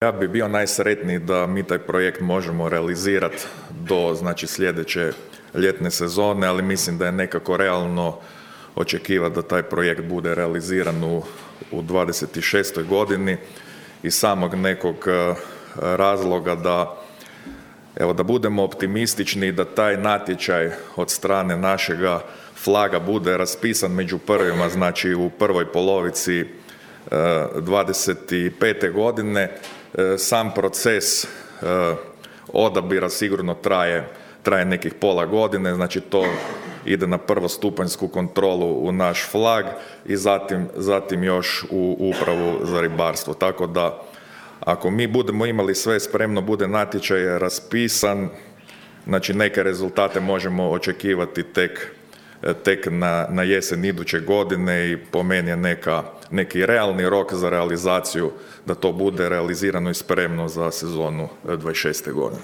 Ja bi bio najsretniji da mi taj projekt možemo realizirati do sljedeće ljetne sezone, ali mislim da je nekako realno očekivati da taj projekt bude realiziran u 26. godini iz samog nekog razloga da budemo optimistični i da taj natječaj od strane našega flaga bude raspisan među prvima, znači u prvoj polovici 25. godine. Sam proces odabira sigurno traje nekih pola godine, znači to ide na prvostupanjsku kontrolu u naš flag i zatim još u upravu za ribarstvo. Tako da ako mi budemo imali sve spremno, bude natječaj raspisan, znači neke rezultate možemo očekivati tek na jesen iduće godine i po meni je neki realni rok za realizaciju da to bude realizirano i spremno za sezonu 26. godine.